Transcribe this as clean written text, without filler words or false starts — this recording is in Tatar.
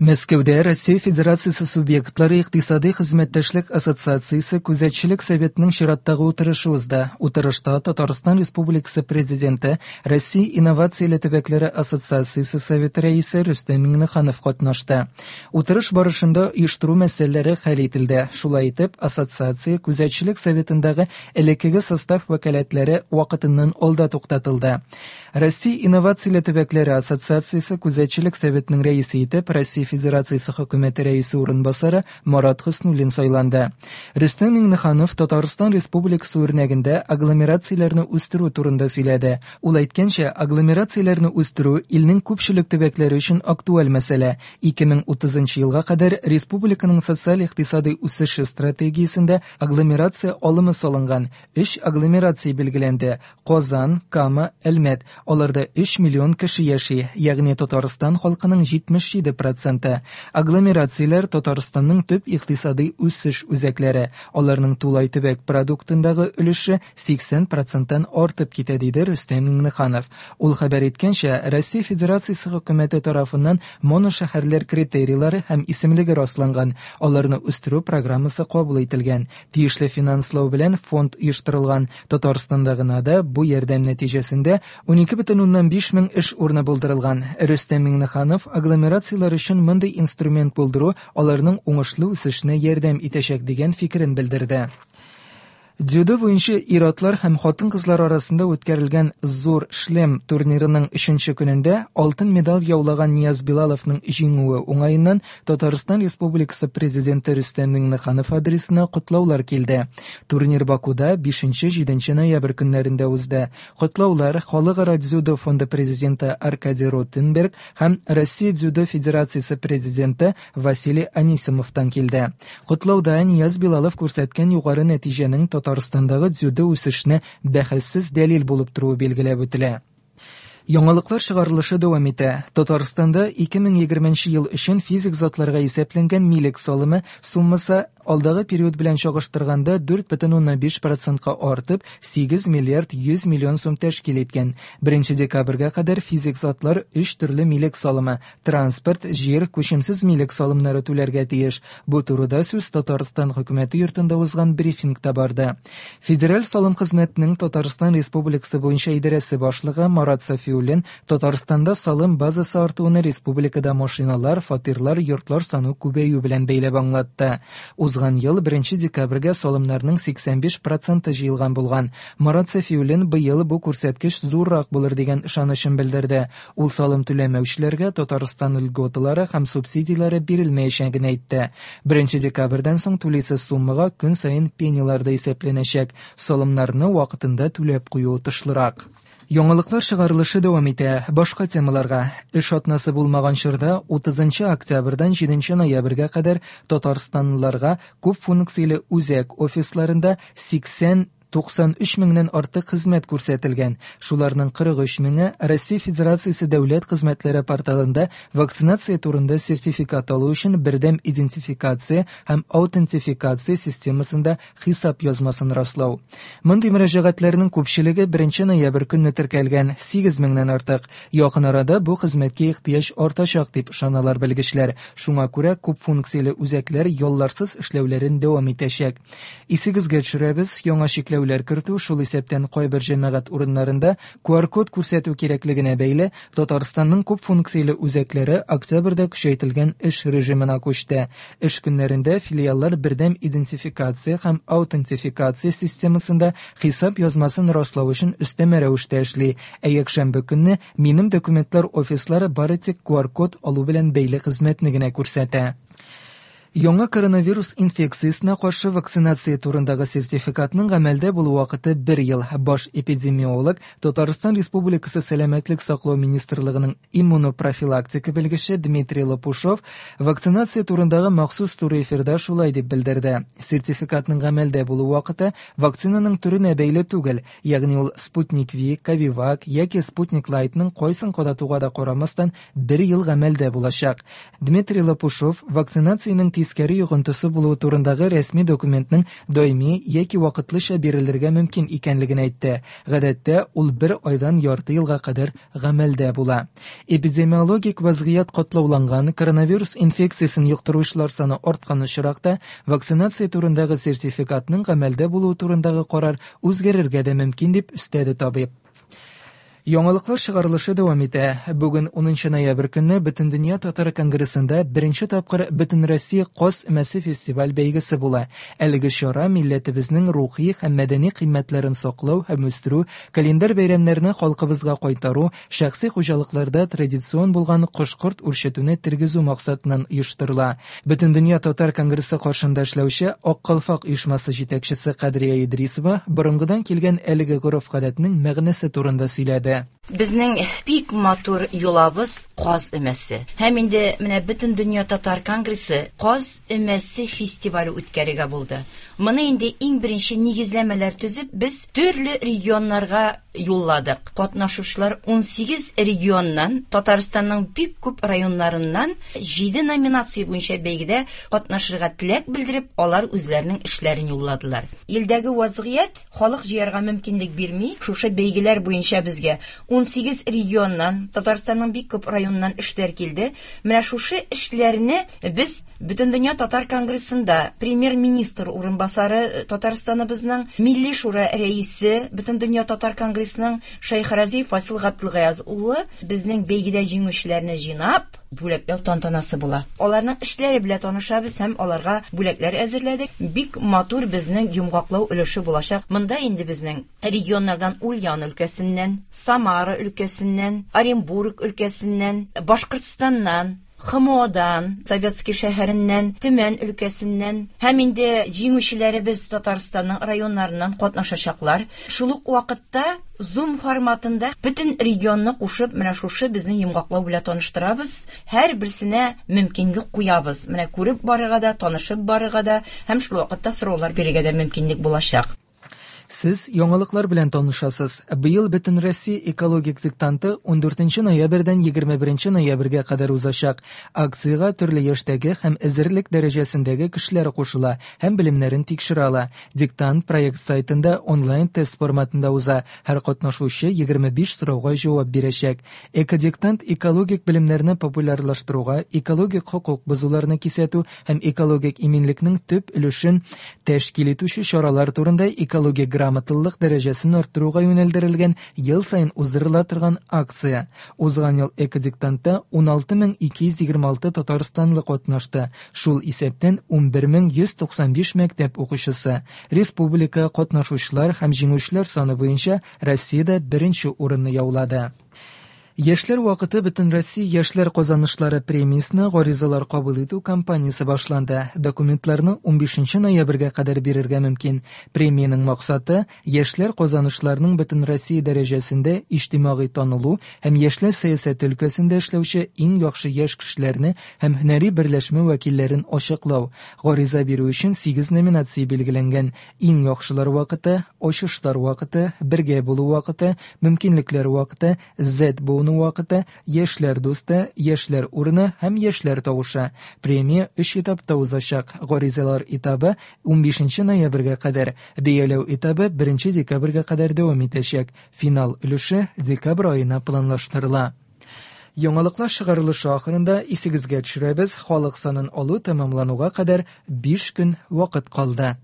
Мәскәүдә Россия Федерациясе субъектлары икътисади хезмәттәшлек ассоциациясе Күзәтчелек советының чираттагы утырышы узды. Утырышта Татарстан Республикасы Президенты, Россия инновацияле төбәкләре ассоциациясе советы рәисе Рөстәм Миңнеханов катнашты. Утырыш барышында оештыру мәсьәләләре хәл ителде. Шулай итеп, ассоциация Күзәтчелек советындагы элеккеге состав вәкаләтләре вакытыннан алда туктатылды. Россия инновацияле төбәкләре ассоциациясе Күзәтчелек советының рәисе итеп Россия Федерациясе хөкүмәте рәисе урынбасары Марат Хөснуллин сайланды. Рөстәм Миңнеханов Татарстан Республикасы үрнәгендә агломерацияләрне үстерү турында сөйләде. Ул әйткәнчә, агломерацияләрне үстерү илнең күпчелек төбәкләре өчен актуаль мәсьәлә. 2030 елга кадәр республиканың социаль-икътисадый үсеше стратегиясендә агломерация алымы салынган. Өч агломерация билгеләнде. Казан, Кама, Әлмәт. Аларда 3 миллион кеше яши, ягъни Татарстан халкының 77 проценты. Агломерацияләр Татарстанның төп икътисадый үсеш үзәкләре. Аларның тулай төбәк продуктындагы өлеше 80 проценттан артып китә, диде Рөстәм Миңнеханов. Ул хәбәр иткәнчә, Россия Федерациясе хөкүмәте тарафыннан моношәһәрләр критерийлары һәм исемлеге расланган, аларны үстерү программасы кабул ителгән. Тиешле финанслау белән фонд оештырылган. Татарстанда гына да бу ярдәм нәтиҗәсендә 12,5 мең эш урыны булдырылган. Рөстәм Миңнеханов агломерацияләр өчен мондый инструмент булдыру аларның уңышлы үсешенә ярдәм итәчәк дигән фикерен белдерде. Дзюдо буенча ир-атлар һәм хатын-кызлар арасында үткәрелгән Зур шлем турнирының өченче көнендә алтын медаль яулаган Нияз Билаловның җиңүе уңаеннан Татарстан Республикасы Президенты Рөстәм Миңнеханов адресына котлаулар килде. Турнир Бакуда 5-7 ноябрь көннәрендә узды. Котлаулар Халыкара дзюдо фонды президенты Аркадий Ротенберг һәм Россия дзюдо федерациясе президенты Василий Анисимовтан килде. Котлауда Нияз Билалов күрсәткән югары нәтиҗәнең Татарстандагы дзюдо үсешенә бәхәссез дәлил булып торуы билгеләп үтелә. Яңалыклар чыгарылышы дәвам итә. Татарстанда 2020 ел өчен физик затларга исәпләнгән милек салымы суммасы алдагы период белән чагыштырганда 4,5 процентка артып, 8 миллиард 100 миллион сум тәшкил иткән. 1 декабрьгә кадәр физик затлар өч төрле милек салымы транспорт, җир, күчемсез милек салымнары түләргә тиеш. Бу турыда сүз Татарстан хөкүмәте йортында узган брифингта барды. Федераль салым хезмәтенең Татарстан Республикасы буенча идарәсе башлыгы Марат Сафиуллин Татарстанда салым базасы артуны республикада машиналар, фатирлар, йортлар саны күбәю белән бәйләп аңлатты. Узган ел 1 декабрьгә салымнарның 85 проценты җыелган булган. Марат Сафиуллин быел бу күрсәткеч зуррак булыр дигән ышанычын белдерде. Ул салым түләмәүчеләргә Татарстан льготалары һәм субсидияләре бирелмәячәген әйтте. 1 декабрьдән соң түлисе суммага көн саен пенялар да исәпләнәчәк. Салымнарны вакытында түләп кую отышлырак. Яңалыклар чыгарылышы дәвам итә. Башка темаларга. Эш атнасы булмаган чорда 30 октябрьдән 7 ноябрьгә кадәр татарстанлыларга күп функцияле үзәк офисларында 80 93 меңнән артык хезмәт күрсәтелгән. Шуларның 43 меңе Россия Федерациясе дәүләт хезмәтләре порталында вакцинация турында сертификат алу өчен бердәм идентификация һәм аутентификация системасында хисап язмасын раслау. Мондый мөрәҗәгатьләрнең күпчелеге 1 ноябрь көнне теркәлгән, 8 меңнән артык. Якын арада бу хезмәткә ихтыяҗ артачак дип ышаналар белгечләр. Шуңа күрә күп функцияле үзәкләр ялларсыз эшләүләрен дәвам итәчәк. Исегезгә төшерәбез, яңа чикләүләр кертү, шул исәптән кайбер җәмәгать урыннарында QR-код күрсәтү кирәклегенә бәйле, Татарстанның күп функцияле үзәкләре октябрьдә көчәйтелгән эш режимына күчте. Эш көннәрендә филиаллар бердәм идентификация һәм аутентификация системасында хисап язмасын раслау өчен өстәмә рәвештә эшли, ә якшәмбе көнне Минем документлар офислары бары тик QR-код алу белән бәйле хезмәтне генә күрсәтә. Яңа коронавирус инфекциясенә каршы вакцинация турындагы сертификатның гамәлдә булу вакыты бер ел. Баш эпидемиолог, Татарстан Республикасы Сәламәтлек саклау министрлыгының иммунопрофилактика белгече Дмитрий Лопушов вакцинация турындагы махсус туры эфирда шулай дип белдерде. Сертификатның гамәлдә булу вакыты вакцинаның төренә бәйле түгел, ягъни ул Спутник V, Ковивак яки Спутник Лайтның кайсын кадатуга да карамастан бер ел гамәлдә булачак. Дмитрий Лопушов вакцинациянең тискәре йогынтысы булуы турындагы рәсми документның даими яки вакытлыча бирелергә мөмкин икәнлеген әйтте. Гадәттә, ул бер айдан ярты елга кадәр гамәлдә була. Эпидемиологик вазгыять катлауланган, коронавирус инфекциясен йоктыручылар саны арткан очракта, вакцинация турындагы сертификатның гамәлдә булуы турындагы карар үзгәрергә дә мөмкин, дип өстәде табиб. Яңалыклар чыгарылышы дәвам итә. Бүген 10 ноябрь көнне Бөтендөнья татар конгрессында беренче тапкыр Бөтенроссия Каз өмәсе фестиваль бәйгесе була. Әлеге чара милләтебезнең рухи һәм мәдәни кыйммәтләрен саклау һәм үстерү, календарь бәйрәмнәрне халкыбызга кайтару, шәхси хуҗалыкларда традицион булган кош-корт үрчетүне тергезү максатыннан оештырыла. Бөтендөнья татар конгрессы каршында эшләүче Ак калфак оешмасы җитәкчесе Кадрия Идрисова борынгыдан килгән әлеге гореф-гадәтнең мәгънәсе турында сөйләде. Безнең бик матур йолабыз Каз өмәсе. Һәм инде менә Бөтендөнья татар конгрессы Каз өмәсе фестивале үткәрергә булды. Моны инде иң беренче нигезләмәләр төзеп, без төрле регионнарга юлладык. Катнашучылар 18 регионнан, Татарстанның бик күп районнарыннан 7 номинация буенча бәйгедә катнашырга теләк белдереп, алар үзләренең эшләрен юлладылар. Илдәге вазгыять халык җыярга мөмкинлек бирми. Шушы бәйгеләр буенча безгә 18 регионнан, Татарстанның бик күп районыннан эшләр килде. Менә шушы эшләрне без Бөтендөнья татар конгрессында премьер-министр урынбасары Татарстаныбызның Милли шура рәисе Бөтендөнья татар конгрессының Шәйхразиев Фасил Габделгаяз улы безнең бәйгедә җиңүчеләрне җыйнап, бүләкләү тантанасы була. Аларның эшләре белән танышабыз һәм аларга бүләкләр әзерләдек. Бик матур безнең йомгаклау өлеше булачак. Монда инде безнең регионнардан Ульян өлкәсеннән, Самара өлкәсеннән, Оренбург өлкәсеннән, Башкортстаннан, ХМОдан, Советский шәһәреннән, Төмән өлкәсеннән һәм инде җиңүчеләребез Татарстанның районнарыннан катнашачаклар. Шул ук вакытта Zoom форматында бөтен регионны кушып, менә шушы безнең йомгаклау белән таныштырабыз. Һәрберсенә мөмкинлек куябыз. Менә күреп барырга да, танышып барырга да һәм шул вакытта сораулар бирергә дә мөмкинлек булачак. Сез яңалыклар белән танышасыз. Быел Бөтенроссия экологик диктанты 14 ноябрьдән 21 ноябрьгә кадәр узачак. Акциягә төрле яшьтәге һәм әзерлек дәрәҗәсендәге кешеләр кушыла һәм белемнәрен тикшерә ала. Диктант проект сайтында онлайн-тест форматында уза. Һәр катнашучы 25 сорауга җавап бирәчәк. Экодиктант экологик белемнәрне популярлаштыруга, экологик хокук бозуларны кисәтү һәм экологик иминлекнең төп өлешен тәшкил итүче чаралар турында экологик грамоталылык дәрәҗәсен арттыруга юнәлдерелгән ел саен уздырыла торган акция. Узган ел экодиктантта 16226 татарстанлы катнашты, шул исәптән 11195 мәктәп укучысы. Республика катнашучылар һәм җиңүчеләр саны буенча Россиядә беренче урынны яулады. Яшьләр вакыты Бөтенроссия яшьләр казанышлары премиясенә гаризалар кабул итү кампаниясе башланды. Документларны 15 ноябрьгә кадәр бирергә мөмкин. Премиянең максаты яшьләр казанышларының Бөтенроссия дәрәҗәсендә иҗтимагый танылу һәм яшьләр сәясәте өлкәсендә эшләүче иң яхшы яшь кешеләрне һәм һөнәри берләшмә вәкилләрен ачыклау. Гариза бирү өчен 8 номинация билгеләнгән. Иң яхшылар вакыты, ачышлар вакыты, бергә булу вакыты, мөмкинлекләр вакыты, Z буыны вакыты, яшьләр дусты, яшьләр урыны һәм яшьләр тавышы. Премия өч этапта узачак. Гаризалар этабы 15 ноябрьгә кадәр, бәяләү этабы 1 декабрьгә кадәр дәвам итәчәк. Финал өлеше декабрь аена планлаштырыла. Яңалыклар чыгарылышы ахырында исегезгә төшерәбез, халык санын алу тәмамлануга кадәр 5 көн вакыт калды.